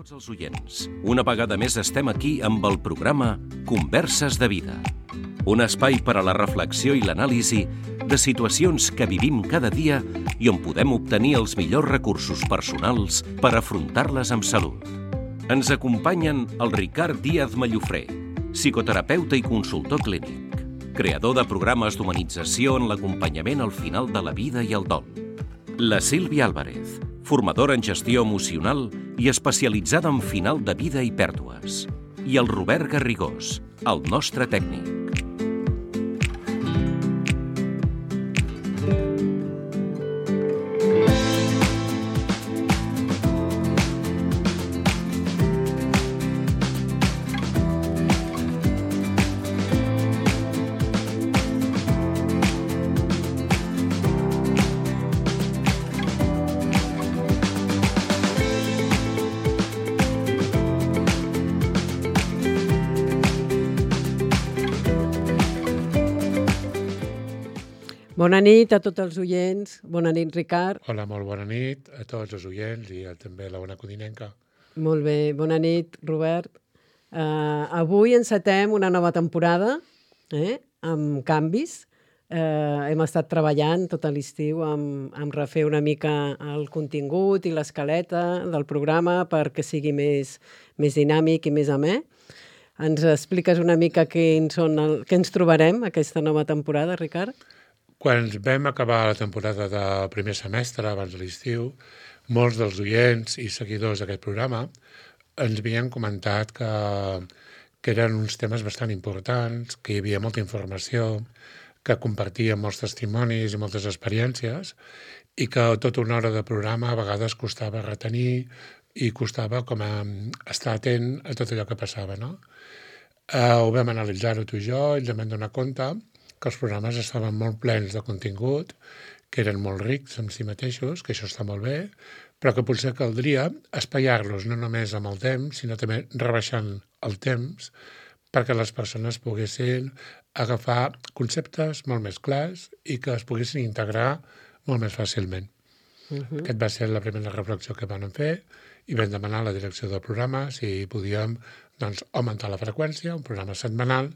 tots els oients. Una vegada més estem aquí amb el programa Converses de Vida. Un espai per a la reflexió i l'anàlisi de situacions que vivim cada dia i on podem obtenir els millors recursos personals per afrontar-les amb salut. Ens acompanyen el Ricard Díaz Mallofré, psicoterapeuta i consultor clínic, creador de programes d'humanització en l'acompanyament al final de la vida i el dol. La Sílvia Álvarez, formadora en gestió emocional i especialitzada en final de vida i pèrdues. I el Robert Garrigós, el nostre tècnic. Bona nit a tots els oients. Bona nit, Ricard. Hola, molt bona nit a tots els oients i també a la bona codinenca. Molt bé, bona nit, Robert. Avui encetem una nova temporada amb canvis. Hem estat treballant tot l'estiu amb refer una mica el contingut i l'escaleta del programa perquè sigui més dinàmic i més amè. Ens expliques una mica què ens trobarem aquesta nova temporada, Ricard? Quan vam acabar la temporada del primer semestre, abans de l'estiu, molts dels oients i seguidors d'aquest programa ens havien comentat que eren uns temes bastant importants, que hi havia molta informació, que compartíem molts testimonis i moltes experiències i que tota una hora de programa a vegades costava retenir i costava com a estar atent a tot allò que passava, no? Ho vam analitzar-ho tu i jo i ens vam donar compte que els programes estaven molt plens de contingut, que eren molt rics en si mateixos, que això està molt bé, però que potser caldria espaiar-los no només amb el temps, sinó també rebaixant el temps perquè les persones poguessin agafar conceptes molt més clars i que es poguessin integrar molt més fàcilment. Aquest va ser la primera reflexió que vam fer i vam demanar a la direcció del programa si podíem augmentar la freqüència, un programa setmanal,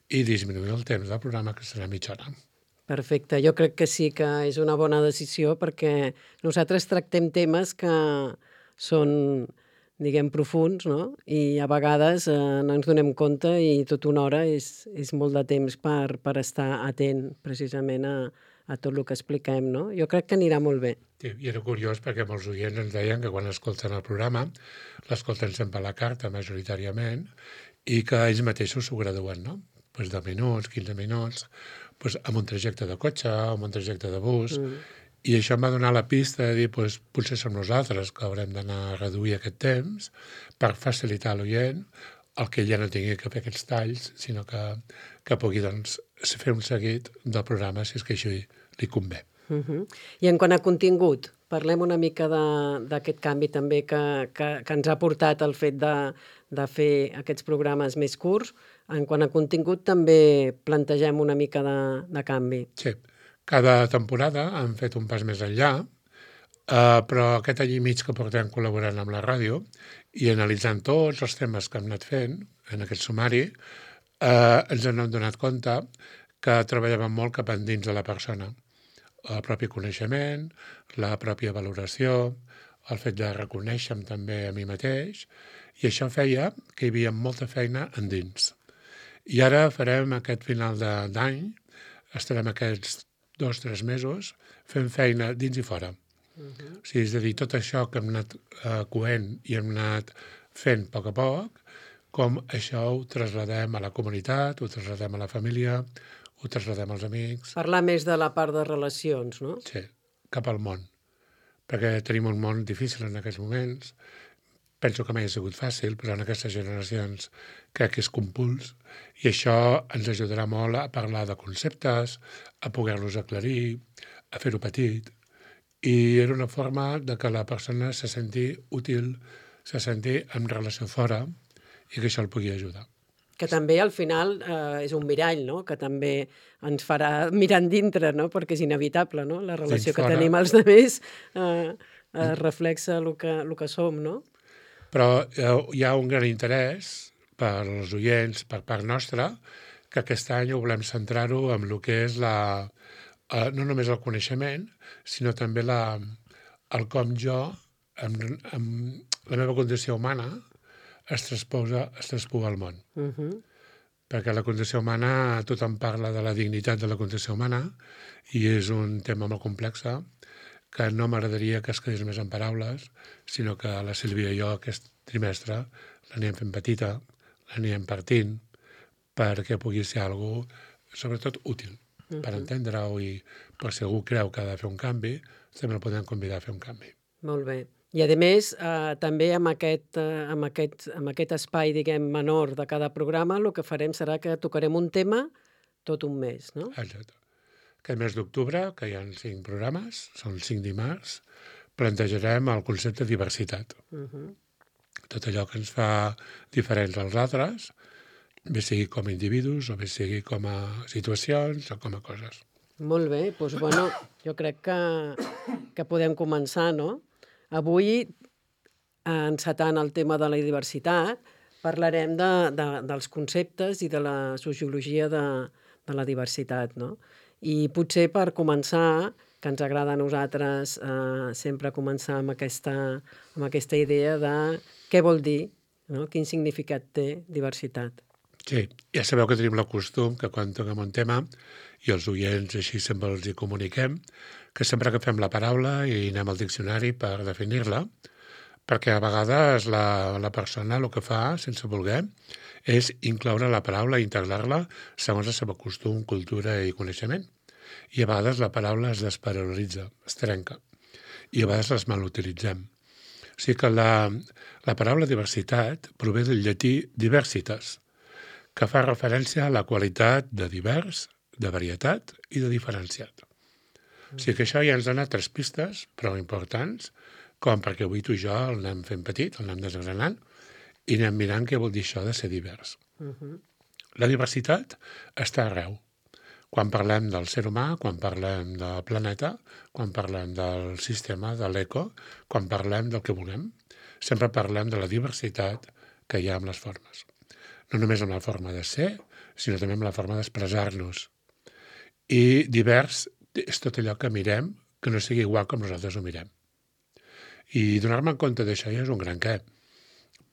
i disminuir el temps del programa, que serà mitja hora. Perfecte, jo crec que sí que és una bona decisió perquè nosaltres tractem temes que són, diguem, profuns, no? I a vegades no ens donem compte i tota una hora és molt de temps per estar atent precisament a tot el que expliquem, no? Jo crec que anirà molt bé. Sí, i era curiós perquè molts oients ens deien que quan escolten el programa l'escolten sempre a la carta majoritàriament i que ells mateixos s'ho graduen, no? 10 minuts, 15 minuts, amb un trajecte de cotxe o amb un trajecte de bus. I això em va donar la pista de dir, potser som nosaltres que haurem d'anar a reduir aquest temps per facilitar a l'oient el que ella no tingui que fer aquests talls, sinó que pugui fer un seguit del programa si és que això li convé. I en quant a contingut, parlem una mica d'aquest canvi també que ens ha portat el fet de fer aquests programes més curts. En quant a contingut també plantegem una mica de canvi. Sí, cada temporada hem fet un pas més enllà, però aquest any i mig que portem col·laborant amb la ràdio i analitzant tots els temes que hem anat fent en aquest sumari, ens hem donat compte que treballàvem molt cap endins de la persona. El propi coneixement, la pròpia valoració, el fet de reconèixer-me també a mi mateix, i això feia que hi havia molta feina endins. I ara farem aquest final d'any, estarem aquests 2-3 mesos fent feina dins i fora. O sigui, és a dir, tot això que hem anat coent i hem anat fent a poc, com això ho trasladem a la comunitat, ho trasladem a la família, ho trasladem als amics. Parlar més de la part de relacions, no? Sí, cap al món, perquè tenim un món difícil en aquests moments. Penso que mai ha sigut fàcil, però en aquestes generacions crec que és compuls i això ens ajudarà molt a parlar de conceptes, a poder-los aclarir, a fer-ho petit. I era una forma de que la persona se senti útil, se senti en relació fora i que això el pugui ajudar. Que també al final és un mirall, no? Que també ens farà mirar dintre, no? Perquè és inevitable, no? La relació que tenim els altres reflexa el que som, no? Però hi ha un gran interès per als oients, per part nostra, que aquest any ho volem centrar-ho en el que és no només el coneixement, sinó també el com jo, amb la meva condició humana, es traspuga al món. Perquè la condició humana, tothom parla de la dignitat de la condició humana i és un tema molt complex que no m'agradaria que es quedés més en paraules, sinó que la Sílvia i jo aquest trimestre l'anem fent petita, l'anem partint, perquè pugui ser algo sobretot útil per entendre-ho i per si algú creu que ha de fer un canvi, també el podem convidar a fer un canvi. Molt bé. I, a més, també amb aquest espai, diguem, menor de cada programa, el que farem serà que tocarem un tema tot un mes, no? Exacte. Aquest mes d'octubre, que hi ha 5 programes, són 5 dimarts, plantejarem el concepte de diversitat. Tot allò que ens fa diferents als altres, bé sigui com a individus o bé sigui com a situacions o com a coses. Molt bé, doncs, bueno, jo crec que podem començar, no? Avui, encetant el tema de la diversitat, parlarem dels conceptes i de la sociologia de la diversitat, no? I potser per començar, que ens agrada a nosaltres sempre començar amb aquesta idea de què vol dir, no? Quin significat té diversitat. Sí, ja sabeu que tenim el costum que quan toquem un tema, i els oients així sempre els hi comuniquem, que sempre agafem la paraula i anem al diccionari per definir-la, perquè a vegades la persona el que fa, sense voler, és incloure la paraula i integrar-la segons el seu costum, cultura i coneixement. I a vegades la paraula es desparal·litza, es trenca, i a vegades les malutilitzem. O sigui que la paraula diversitat prové del llatí diversitas, que fa referència a la qualitat de divers, de varietat i de diferenciat. O sigui que això ja ens dona 3 pistes prou importants, com perquè avui tu i jo el anem fent petit, el anem desgranant, i anem mirant què vol dir això de ser divers. La diversitat està arreu. Quan parlem del ser humà, quan parlem del planeta, quan parlem del sistema, de l'eco, quan parlem del que volem, sempre parlem de la diversitat que hi ha amb les formes. No només amb la forma de ser, sinó també amb la forma d'expressar-nos. I divers és tot allò que mirem que no sigui igual com nosaltres ho mirem. I donar-me en compte d'això ja és un gran què,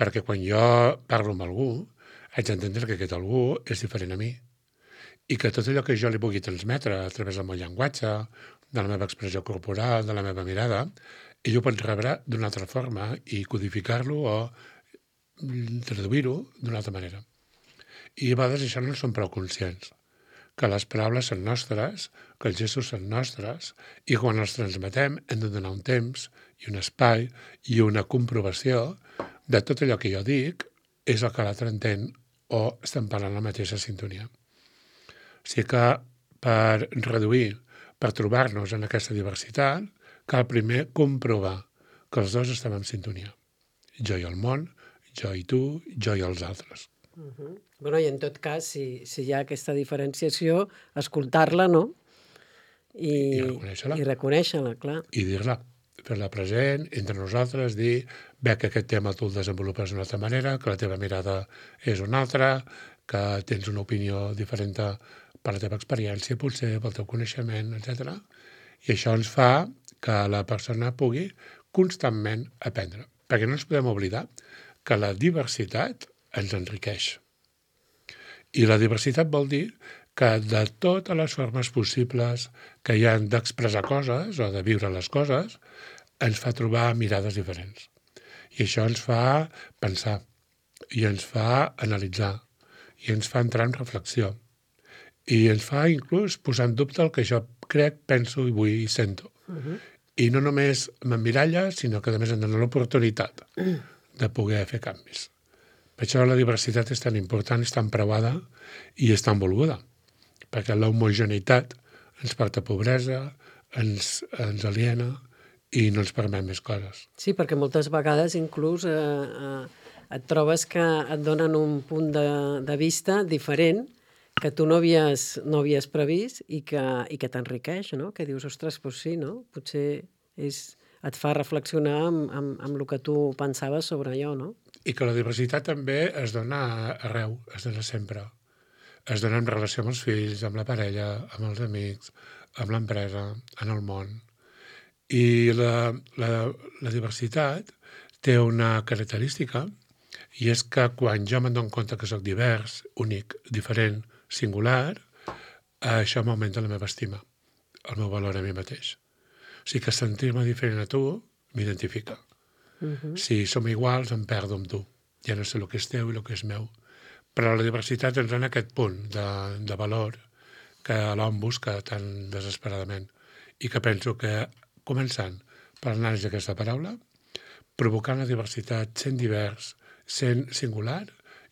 perquè quan jo parlo amb algú, haig d'entendre que aquest algú és diferent a mi i que tot allò que jo li pugui transmetre a través del meu llenguatge, de la meva expressió corporal, de la meva mirada, ell ho pot rebre d'una altra forma i codificar-lo o traduir-ho d'una altra manera. I a vegades això no en som prou conscients, que les paraules són nostres, que els gestos són nostres, i quan els transmetem hem de donar un temps i un espai i una comprovació de tot allò que jo dic és el que l'altre entén o estem parlant la mateixa sintonia. O sigui que per reduir, per trobar-nos en aquesta diversitat, cal primer comprovar que els dos estem en sintonia. Jo i el món, jo i tu, jo i els altres. Bueno, i en tot cas, si hi ha aquesta diferenciació, escoltar-la, no? I reconèixer-la, clar. I dir-la, fer-la present, entre nosaltres, dir, bé, que aquest tema tu el desenvolupes d'una altra manera, que la teva mirada és una altra, que tens una opinió diferent per la teva experiència, potser pel teu coneixement, etc. I això ens fa que la persona pugui constantment aprendre. Perquè no ens podem oblidar que la diversitat ens enriqueix. I la diversitat vol dir que de totes les formes possibles que hi ha d'expressar coses o de viure les coses, ens fa trobar mirades diferents. I això ens fa pensar, i ens fa analitzar, i ens fa entrar en reflexió, i ens fa inclús posar en dubte el que jo crec, penso i vull i sento. I no només m'emmiralla, sinó que a més em dona l'oportunitat de poder fer canvis. Per això la diversitat és tan important, és tan preuada i és tan volguda, perquè l'homogeneïtat ens porta pobresa, ens aliena i no ens permet més coses. Sí, perquè moltes vegades inclús et trobes que et donen un punt de vista diferent que tu no havies previst i que t'enriqueix, no? Que dius, ostres, doncs sí, no? Potser et fa reflexionar amb el que tu pensaves sobre allò, no? I que la diversitat també es dona arreu, es dona sempre. Es dona en relació amb els fills, amb la parella, amb els amics, amb l'empresa, en el món. I la diversitat té una característica, i és que quan jo me'n dono compte que sóc divers, únic, diferent, singular, això m'augmenta la meva estima, el meu valor a mi mateix. O sigui que sentir-me diferent a tu m'identifica. Si som iguals, em perdo amb tu. Ja no sé el que és teu i el que és meu. Però la diversitat ens dona aquest punt de valor que l'home busca tan desesperadament i que penso que, començant per l'anàlisi d'aquesta paraula, provocant la diversitat, sent divers, sent singular,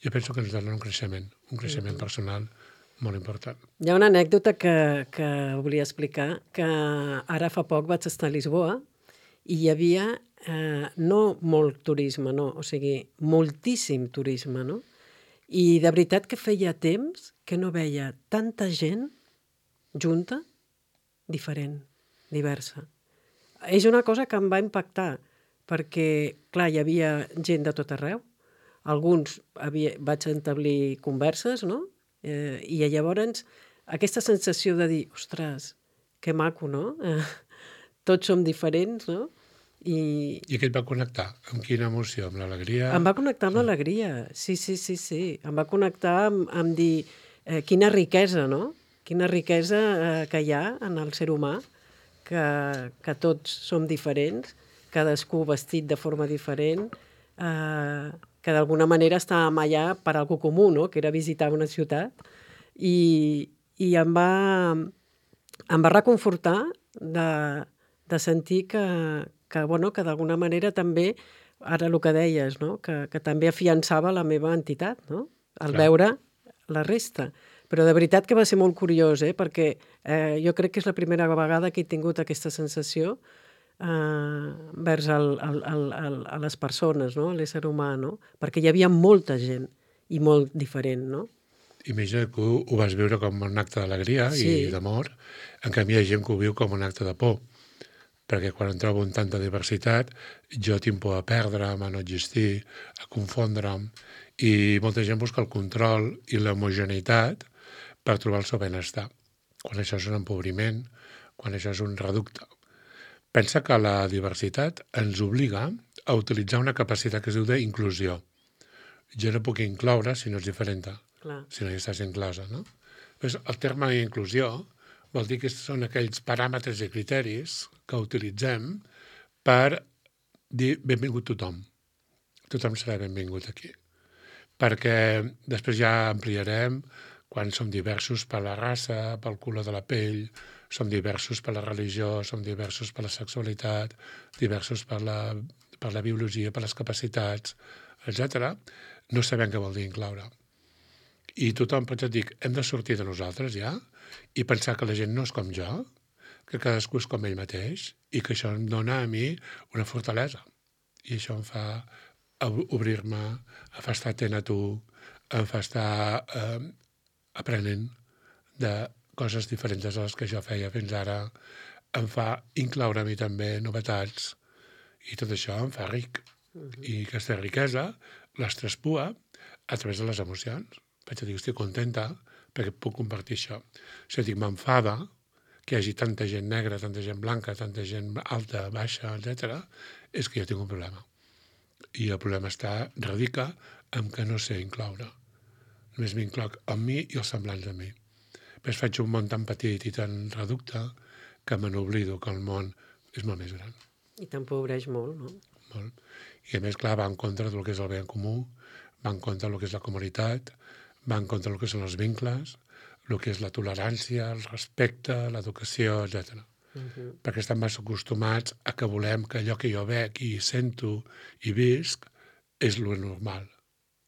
jo penso que ens dona un creixement personal molt important. Hi ha una anècdota que volia explicar, que ara fa poc vaig estar a Lisboa i hi havia no molt turisme, no, o sigui, moltíssim turisme, no? I de veritat que feia temps que no veia tanta gent junta, diferent, diversa. És una cosa que em va impactar, perquè, clar, hi havia gent de tot arreu, alguns vaig establir converses, no? I llavors aquesta sensació de dir, ostres, que maco, no? Tots som diferents, no? I què et va connectar? Amb quina emoció? Amb l'alegria? Em va connectar amb l'alegria, sí. Em va connectar amb dir quina riquesa, no? Quina riquesa que hi ha en el ser humà, que tots som diferents, cadascú vestit de forma diferent, que d'alguna manera estàvem allà per algo comú, no? Que era visitar una ciutat, i em va reconfortar de sentir que d'alguna manera també, ara el que deies, no? Que també afiançava la meva entitat, no? Al veure la resta. Però de veritat que va ser molt curiós, perquè jo crec que és la primera vegada que he tingut aquesta sensació vers a les persones, no? A l'ésser humà, no? Perquè hi havia molta gent i molt diferent, no? Imagina que ho vas viure com un acte d'alegria i d'amor, en canvi hi ha gent que ho viu com un acte de por, perquè quan em trobo en tanta diversitat jo tinc por a perdre'm, a no existir, a confondre'm, i molta gent busca el control i l'homogeneïtat per trobar el seu benestar, quan això és un empobriment, quan això és un reducte. Pensa que la diversitat ens obliga a utilitzar una capacitat que es diu d'inclusió. Jo no puc incloure si no és diferent, si no hi estàs inclosa, no? Pues el terme inclusió vol dir que són aquells paràmetres i criteris que utilitzem per dir benvingut tothom. Tothom serà benvingut aquí. Perquè després ja ampliarem quan som diversos per la raça, pel color de la pell, som diversos per la religió, som diversos per la sexualitat, diversos per la biologia, per les capacitats, etc. No sabem què vol dir incloure. I tothom pot dir, hem de sortir de nosaltres ja i pensar que la gent no és com jo, que cadascú és com ell mateix i que això em dona a mi una fortalesa. I això em fa obrir-me, em fa estar atent a tu, em fa estar aprenent de coses diferents de les que jo feia fins ara, em fa incloure a mi també novetats i tot això em fa ric. I aquesta riquesa les traspua a través de les emocions. Vaig a dir, estic contenta perquè puc compartir això. Si dic, m'enfada que hi hagi tanta gent negra, tanta gent blanca, tanta gent alta, baixa, etc., és que jo tinc un problema. I el problema radica en que no sé incloure. Només m'incloc amb mi i els semblants a mi. Després faig un món tan petit i tan reducte que me n'oblido que el món és molt més gran. I t'empobreix molt, no? Molt. I a més, clar, va en contra del que és el bé en comú, va en contra del que és la comunitat, va en contra del que són els vincles, el que és la tolerància, el respecte, l'educació, etc. Perquè estan massa acostumats a que volem que allò que jo veig i sento i visc és lo normal.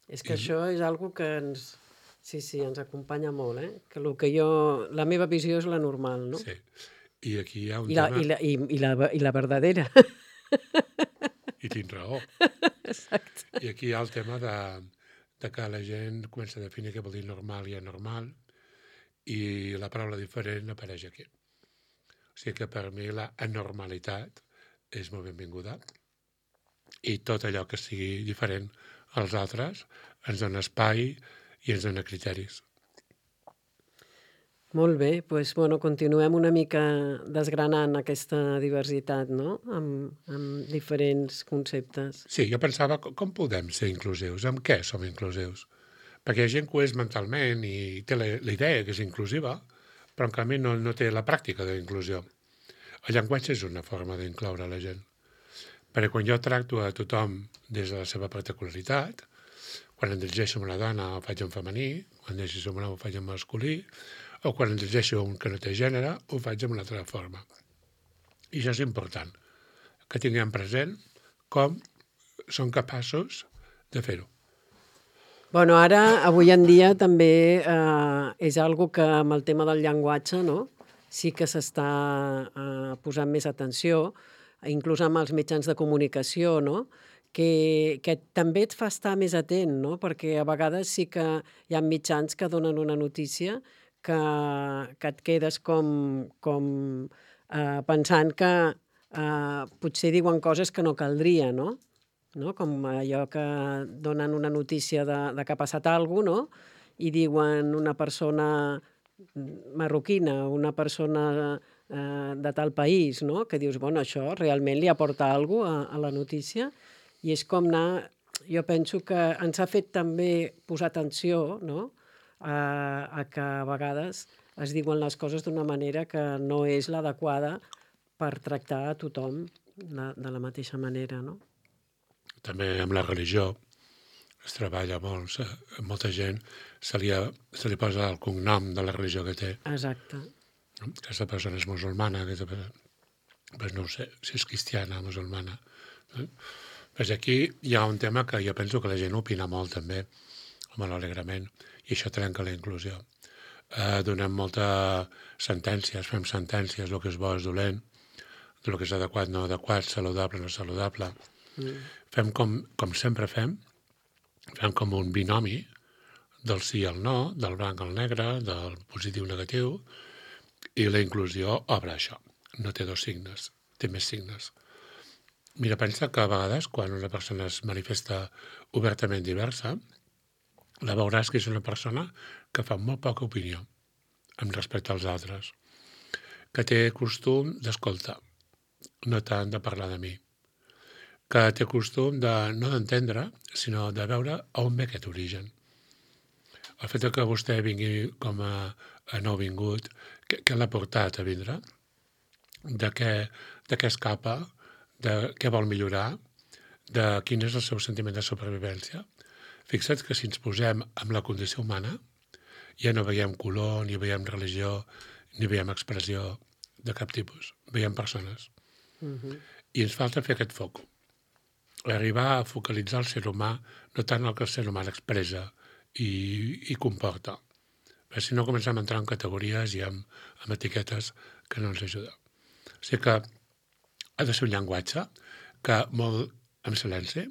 És que això és algo que ens acompanya molt, Que la meva visió és la normal, no? Sí. I aquí hi ha un tema... I la verdadera. I tens raó. Exacte. I aquí hi ha el tema de que la gent comença a definir què vol dir normal i anormal i la paraula diferent apareix aquí. O sigui que per mi la anormalitat és molt benvinguda i tot allò que sigui diferent als altres ens dona espai i ens dona criteris. Molt bé, doncs, continuem una mica desgranant aquesta diversitat, no? Amb diferents conceptes. Sí, jo pensava, com podem ser inclusius? Amb què som inclusius? Perquè hi ha gent que ho és mentalment i té la idea que és inclusiva, però en canvi no té la pràctica d'inclusió. El llenguatge és una forma d'incloure la gent. Perquè quan jo tracto a tothom des de la seva particularitat, quan em dirigeixo a una dona ho faig en femení, quan em dirigeixo a un home ho faig en masculí, o quan em dirigeixo a un que no té gènere ho faig d'una altra forma. I això és important, que tinguem present com són capaços de fer-ho. Ara, avui en dia, també és algo que amb el tema del llenguatge, no? Sí que s'està posant més atenció, inclús amb els mitjans de comunicació, no? Que també et fa estar més atent, no? Perquè a vegades sí que hi ha mitjans que donen una notícia que et quedes com pensant que potser diuen coses que no caldria, no? Com allò que donen una notícia de que ha passat alguna cosa, no? I diuen una persona marroquina, una persona de tal país, no? Que dius, això realment li aporta alguna cosa a la notícia, i és com anar... Jo penso que ens ha fet també posar atenció, no? A que a vegades es diuen les coses d'una manera que no és l'adequada per tractar a tothom de la mateixa manera, no? També amb la religió es treballa molt. Molta gent se li posa el cognom de la religió que té. Exacte. Aquesta persona és musulmana, no ho sé, si és cristiana, musulmana. Pues aquí hi ha un tema que jo penso que la gent opina molt també, amb l'alegrament, i això trenca la inclusió. Donem moltes sentències, fem sentències, el que és bo és dolent, el que és adequat, no adequat, saludable, no saludable. Fem com sempre fem com un binomi del sí al no, del blanc al negre, del positiu al negatiu, i la inclusió obre això. No té dos signes, té més signes. Mira, pensa que a vegades quan una persona es manifesta obertament diversa, la veuràs que és una persona que fa molt poca opinió amb respecte als altres, que té costum d'escoltar, no tant de parlar de mi, que té costum no d'entendre, sinó de veure on ve aquest origen. El fet que vostè vingui com a nouvingut, què l'ha portat a vindre? De què escapa? De què vol millorar? De quin és el seu sentiment de supervivència? Fixa't que si ens posem amb la condició humana, ja no veiem color, ni veiem religió, ni veiem expressió de cap tipus. Veiem persones. I ens falta fer aquest foc. Arribar a focalitzar el ser humà, no tant el que el ser humà expressa i comporta. Perquè si no comencem a entrar en categories i amb etiquetes que no ens ajuda. O sigui que ha de ser un llenguatge que molt en silenci,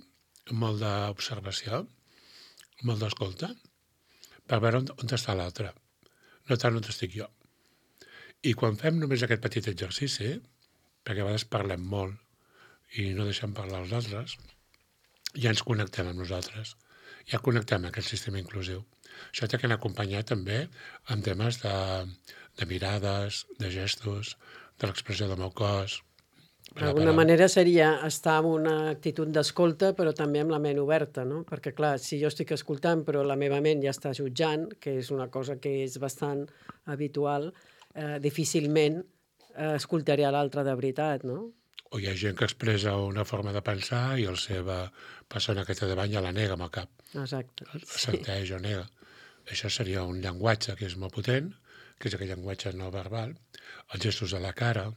molt d'observació, molt d'escolta, per veure on està l'altre, no tant on estic jo. I quan fem només aquest petit exercici, perquè a vegades parlem molt i no deixem parlar els altres, ja ens connectem amb nosaltres, ja connectem amb aquest sistema inclusiu. Això té que anar acompanyat també amb temes de mirades, de gestos, de l'expressió del meu cos. D'alguna manera seria estar en una actitud d'escolta, però també amb la ment oberta, no? Perquè, clar, si jo estic escoltant però la meva ment ja està jutjant, que és una cosa que és bastant habitual, difícilment escoltaré a l'altre de veritat, no? O hi ha gent que expressa una forma de pensar i la seva persona que té davant ja la nega amb el cap. Exacte. Assenteix o nega. Això seria un llenguatge que és molt potent, que és aquell llenguatge no verbal, els gestos de la cara,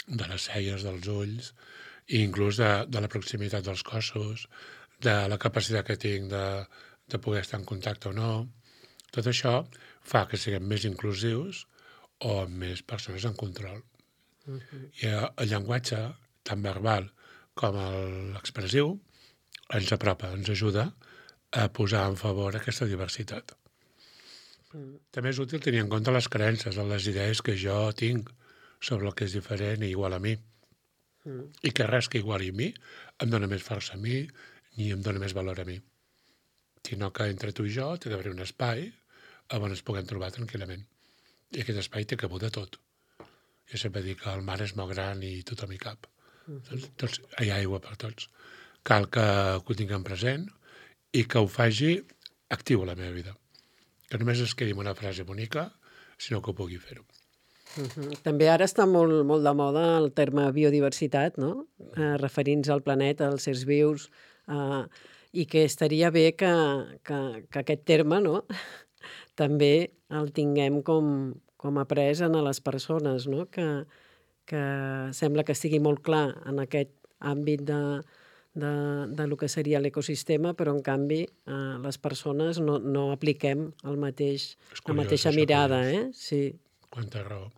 de les celles, dels ulls, i inclús de la proximitat dels cossos, de la capacitat que tinc de poder estar en contacte o no. Tot això fa que siguem més inclusius o amb més persones en control. I el llenguatge, tant verbal com l'expressiu, ens apropa, ens ajuda a posar en favor aquesta diversitat. També és útil tenir en compte les creences, les idees que jo tinc sobre el que és diferent i igual a mi. I que res que iguali a mi em dona més força a mi ni em dona més valor a mi. Sinó que entre tu i jo té d'haver un espai on ens puguem trobar tranquil·lament. I aquest espai té cabuda tot. Jo sempre dic que el mar és molt gran i tothom hi cap. Tots, hi ha aigua per tots. Cal que ho tinguem present i que ho faci actiu a la meva vida. Que només es quedi amb una frase bonica, sinó que ho pugui fer-ho. També ara està molt, molt de moda el terme biodiversitat, no? Referint-nos al planeta, als éssers vius, i que estaria bé que aquest terme, no? també el tinguem com après a les persones, no? Que sembla que estigui molt clar en aquest àmbit de lo que seria l'ecosistema, però en canvi les persones no apliquem la mateixa mirada. Sí. Quanta raó.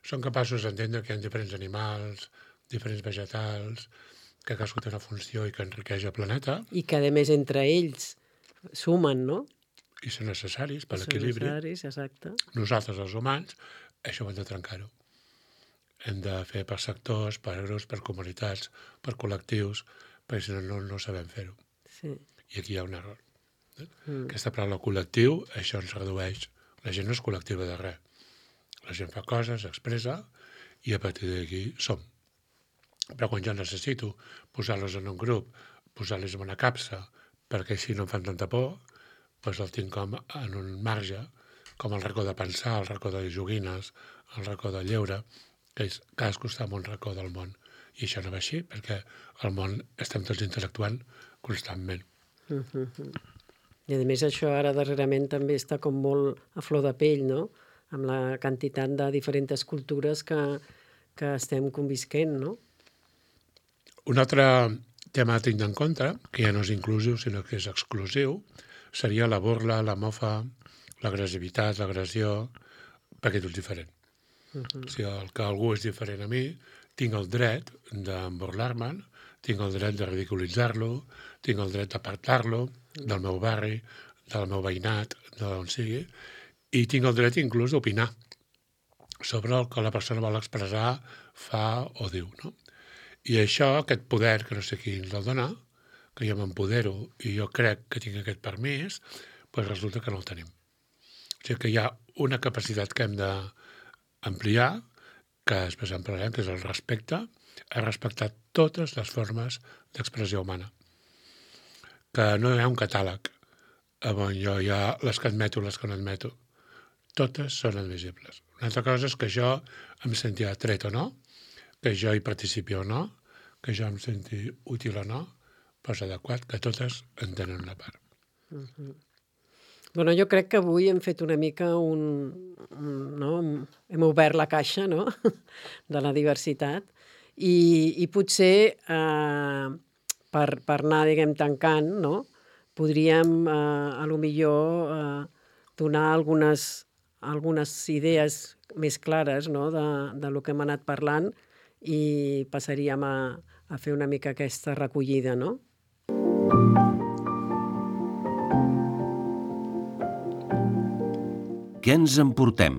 Són capaços d'entendre que hi ha diferents animals, diferents vegetals, que cadascú té una funció i que enriqueix el planeta. I que, a més, entre ells sumen, no? I són necessaris per l'equilibri. Són necessaris, exacte. Nosaltres, els humans, això ho hem de trencar-ho. Hem de fer per sectors, per grups, per comunitats, per col·lectius, perquè si no sabem fer-ho. Sí. I aquí hi ha un error. Aquesta paraula col·lectiu, això ens redueix. La gent no és col·lectiva de res. La gent fa coses, expressa, i a partir d'aquí som. Però quan jo necessito posar-los en un grup, posar-los en una capsa, perquè així no em fan tanta por, doncs el tinc com en un marge, com el racó de pensar, el racó de joguines, el racó de lleure, que és cadascú està en un racó del món. I això no va així, perquè al món estem tots interactuant constantment. I a més això ara darrerament també està com molt a flor de pell, no? Amb la quantitat de diferents cultures que estem convisquent, no? Un altre tema a tenir en compte, que ja no és inclusiu, sinó que és exclusiu, seria la burla, la mofa, l'agressivitat, l'agressió, perquè tot és diferent. Si el que algú és diferent a mi, tinc el dret d'emburlar-me'n, tinc el dret de ridiculitzar-lo, tinc el dret d'apartar-lo del meu barri, del meu veïnat, d'on sigui, i tinc el dret inclús d'opinar sobre el que la persona vol expressar, fa o diu, no? I això, aquest poder, que no sé qui ens el dona, que jo m'empodero i jo crec que tinc aquest permís, doncs resulta que no el tenim. O sigui que hi ha una capacitat que hem d'ampliar, que després en parlarem, que és el respecte, a respectar totes les formes d'expressió humana. Que no hi ha un catàleg on jo hi ha les que admeto i les que no admeto. Totes són admissibles. Una altra cosa és que jo em senti atret o no, que jo hi participi o no, que jo em senti útil o no, però és adequat que totes en tenen una part. Bueno, jo crec que avui hem fet una mica no? Hem obert la caixa, no? De la diversitat i potser per anar, diguem, tancant, no? Podríem, a lo millor, donar algunes idees més clares, no? de lo que hem anat parlant i passaríem a fer una mica aquesta recollida, no? Què ens emportem?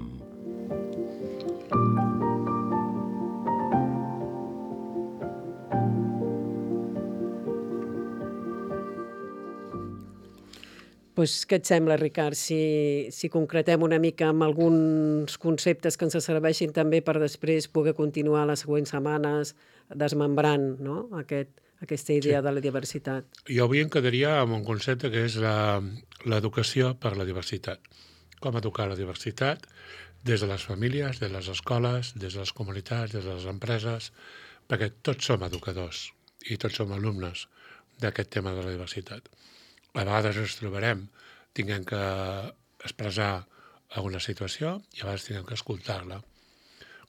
Doncs què et sembla, Ricard, si concretem una mica amb alguns conceptes que ens serveixin també per després poder continuar les següents setmanes desmembrant, no? Aquesta idea de la diversitat. Jo avui em quedaria amb un concepte que és l'educació per la diversitat. Com educar la diversitat des de les famílies, des de les escoles, des de les comunitats, des de les empreses, perquè tots som educadors i tots som alumnes d'aquest tema de la diversitat. A vegades ens trobarem tinguem que expressar alguna situació i a vegades tinguem que escoltar-la.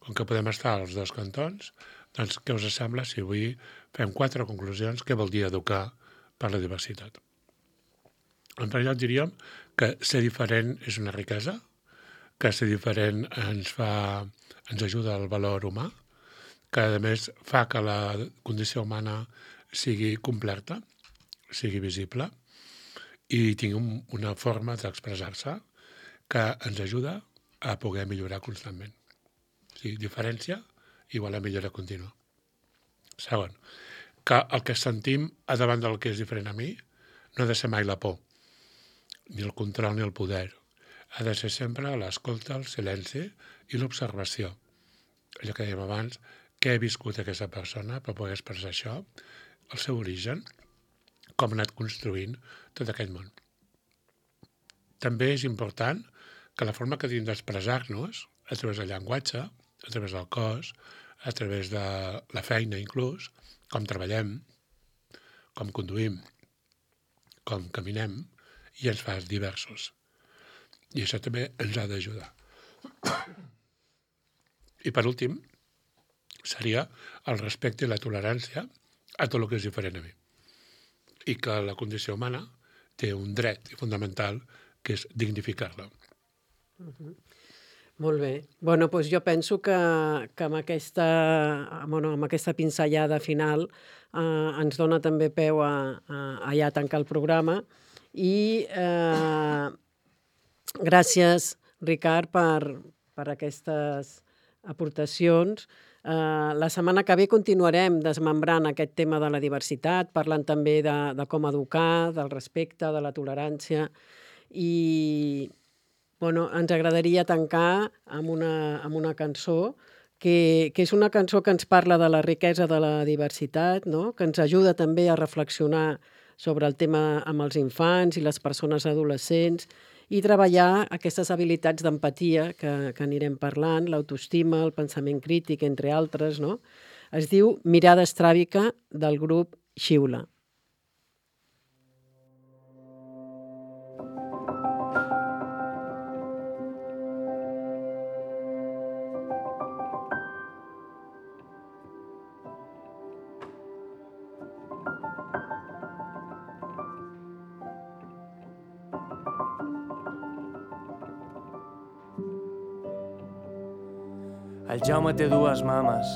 Com que podem estar als dos cantons, doncs què us sembla si avui fem 4 conclusions què vol dir educar per la diversitat? En primer lloc diríem que ser diferent és una riquesa, que ser diferent ens ajuda al valor humà, que a més fa que la condició humana sigui completa, sigui visible, i tingui una forma d'expressar-se que ens ajuda a poder millorar constantment. O sigui, diferència igual a millora contínua. Segon, que el que sentim a davant del que és diferent a mi no ha de ser mai la por, ni el control ni el poder. Ha de ser sempre l'escolta, el silenci i l'observació. Allò que dèiem abans, què ha viscut aquesta persona per poder expressar això, el seu origen, com ha anat construint tot aquest món. També és important que la forma que tenim d'expressar-nos, a través del llenguatge, a través del cos, a través de la feina inclús, com treballem, com conduïm, com caminem, i ens fa diversos. I això també ens ha d'ajudar. I per últim, seria el respecte i la tolerància a tot el que és diferent a mi. I que la condició humana té un dret fundamental que és dignificar-la. Molt bé. Bueno, doncs jo penso que amb aquesta pinzellada final ens dona també peu a ja tancar el programa. I gràcies, Ricard, per aquestes aportacions. La setmana que ve continuarem desmembrant aquest tema de la diversitat, parlant també de com educar, del respecte, de la tolerància. I ens agradaria tancar amb una cançó que és una cançó que ens parla de la riquesa de la diversitat, no? Que ens ajuda també a reflexionar sobre el tema amb els infants i les persones adolescents i treballar aquestes habilitats d'empatia que anirem parlant, l'autoestima, el pensament crític, entre altres, no? Es diu Mirada estràbica del grup Xiula. El Jaume té dues mames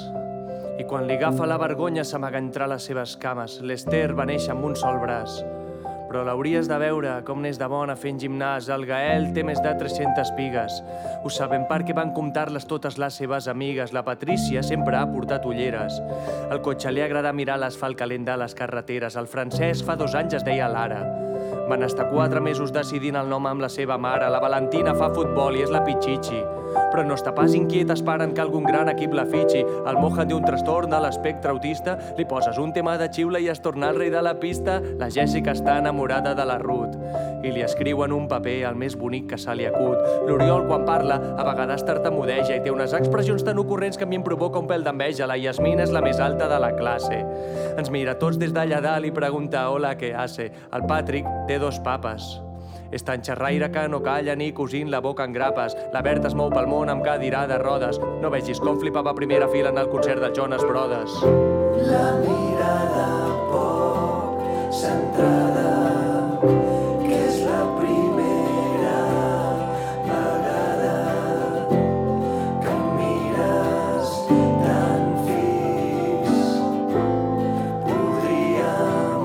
i quan li agafa la vergonya s'amaga entre les seves cames. L'Ester va néixer amb un sol braç, però l'hauries de veure com n'és de bona fent gimnàs. El Gael té més de 300 pigues. Ho sabem perquè van comptar-les totes les seves amigues. La Patrícia sempre ha portat ulleres. Al cotxe li agrada mirar l'asfalt calent de les carreteres. El Francesc fa 2 anys es deia Lara. Van estar 4 mesos decidint el nom amb la seva mare. La Valentina fa futbol i és la Pichichi, però no està pas inquiet esperant que algun gran equip la fitxi. El Mohan té un trastorn de l'espectre autista. Li poses un tema de xiula i es torna el rei de la pista. La Jessica està enamorada de la Ruth i li escriu en un paper el més bonic que se li acut. L'Oriol, quan parla, a vegades tartamudeja i té unes expressions tan ocurrents que a mi em provoca un pèl d'enveja. La Yasmina és la més alta de la classe. Ens mira tots des d'allà dalt i pregunta hola, què hace? El Patrick té 2 papes. És tan xerraire que no calla ni cosint la boca en grapes. La Berta es mou pel món amb cadira de rodes. No vegis com flipava a primera fila en el concert dels Jonas Brothers. La mirada poc centrada, que és la primera vegada que em mires tan fix. Podríem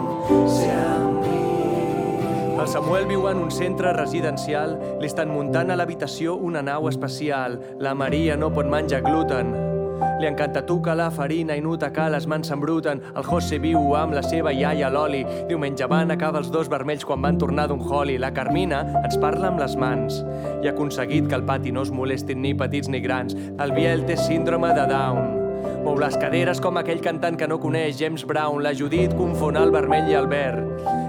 ser amics. El Samuel viu en un centre residencial. Li estan muntant a l'habitació una nau especial. La Maria no pot menjar gluten. Li encanta tocar la farina i notar que les mans s'embruten. El José viu amb la seva iaia l'Oli. Diumenge van acabar els 2 vermells quan van tornar d'un holi. La Carmina ens parla amb les mans i ha aconseguit que al pati no es molestin ni petits ni grans. El Biel té síndrome de Down. Mou les caderes com aquell cantant que no coneix James Brown. La Judit confon el vermell i el verd.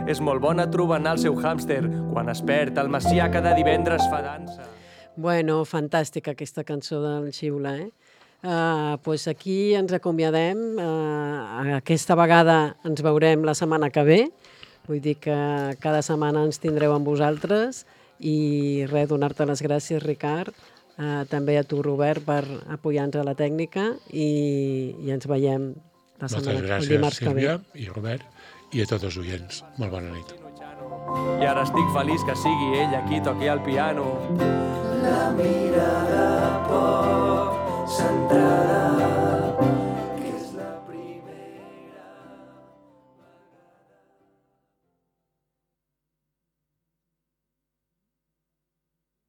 És molt bona trobant el seu hàmster quan es perd. El Macià cada divendres fa dansa. Bueno, fantàstica aquesta cançó del Xiula, Pues aquí ens acomiadem. Aquesta vegada ens veurem la setmana que ve. Vull dir que cada setmana ens tindreu amb vosaltres. I res, donar-te les gràcies, Ricard. També a tu, Robert, per apoyar-nos a la tècnica. I ens veiem la setmana, el dimarts que ve. Moltes gràcies, Sílvia i Robert, i a tots els oients. Molt bona nit. I ara estic feliç que sigui ella qui toqui el piano. La mirada poc centrada